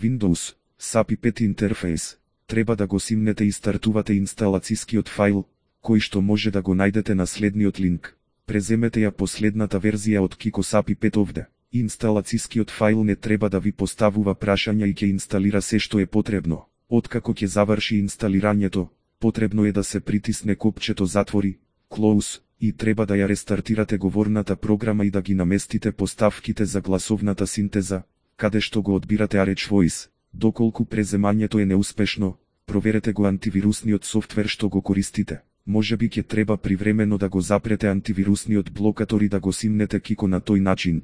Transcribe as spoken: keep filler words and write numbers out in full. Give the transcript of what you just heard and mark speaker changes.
Speaker 1: Windows, сапи пет интерфејс. Треба да го симнете и стартувате инсталацијскиот файл, кој што може да го најдете на следниот линк. Преземете ја последната верзија од Kiko сапи пет овде. Инсталацијскиот файл не треба да ви поставува прашања и ќе инсталира се што е потребно. Откако ќе заврши инсталирањето, потребно е да се притисне копчето затвори, close, и треба да ја рестартирате говорната програма и да ги наместите поставките за гласовната синтеза, каде што го одбирате Arch Voice. Доколку преземањето е неуспешно, проверете го антивирусниот софтвер што го користите. Можеби ќе треба привремено да го запрете антивирусниот блокатор и да го симнете Kiko на тој начин.